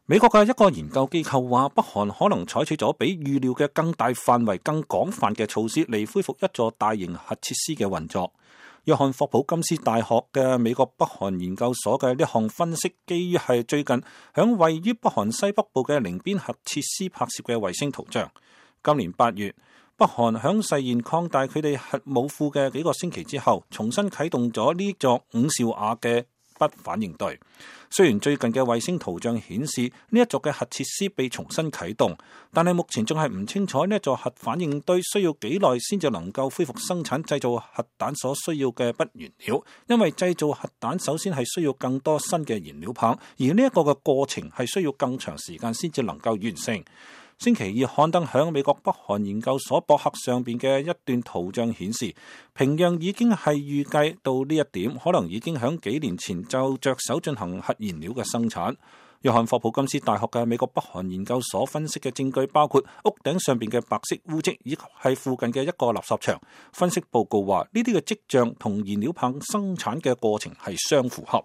美國嘅一個研究機構話，北韓可能採取咗比預料嘅更大範圍、更廣泛嘅措施嚟恢復一座大型核設施嘅運作。約翰霍普金斯大學嘅美國北韓研究所嘅呢項分析，基於係最近響位於北韓西北部嘅寧邊核設施拍攝嘅衛星圖像。今年8月，北韓響誓言擴大佢哋核武庫嘅幾個星期之後，重新啟動咗呢座5兆瓦嘅不反應堆。雖然最近嘅衛星圖像顯示呢一座嘅核設施被重新啟動，但係目前仲係唔清楚呢一座核反應堆需要幾耐先至能夠恢復生產製造核彈所需要嘅鈈原料，因為製造核彈首先係需要更多新嘅燃料棒，而呢一個嘅過程係需要更長時間先至能夠完成。星期二刊登響美國北韓研究所博客上邊嘅一段圖像顯示，平壤已經係預計到呢一點，可能已經響幾年前就着手進行核燃料嘅生產。約翰霍普金斯大學嘅美國北韓研究所分析嘅證據包括屋頂上邊嘅白色污跡，以及係附近嘅一個垃圾場。分析報告話，呢啲嘅跡象同燃料棒生產嘅過程係相符合。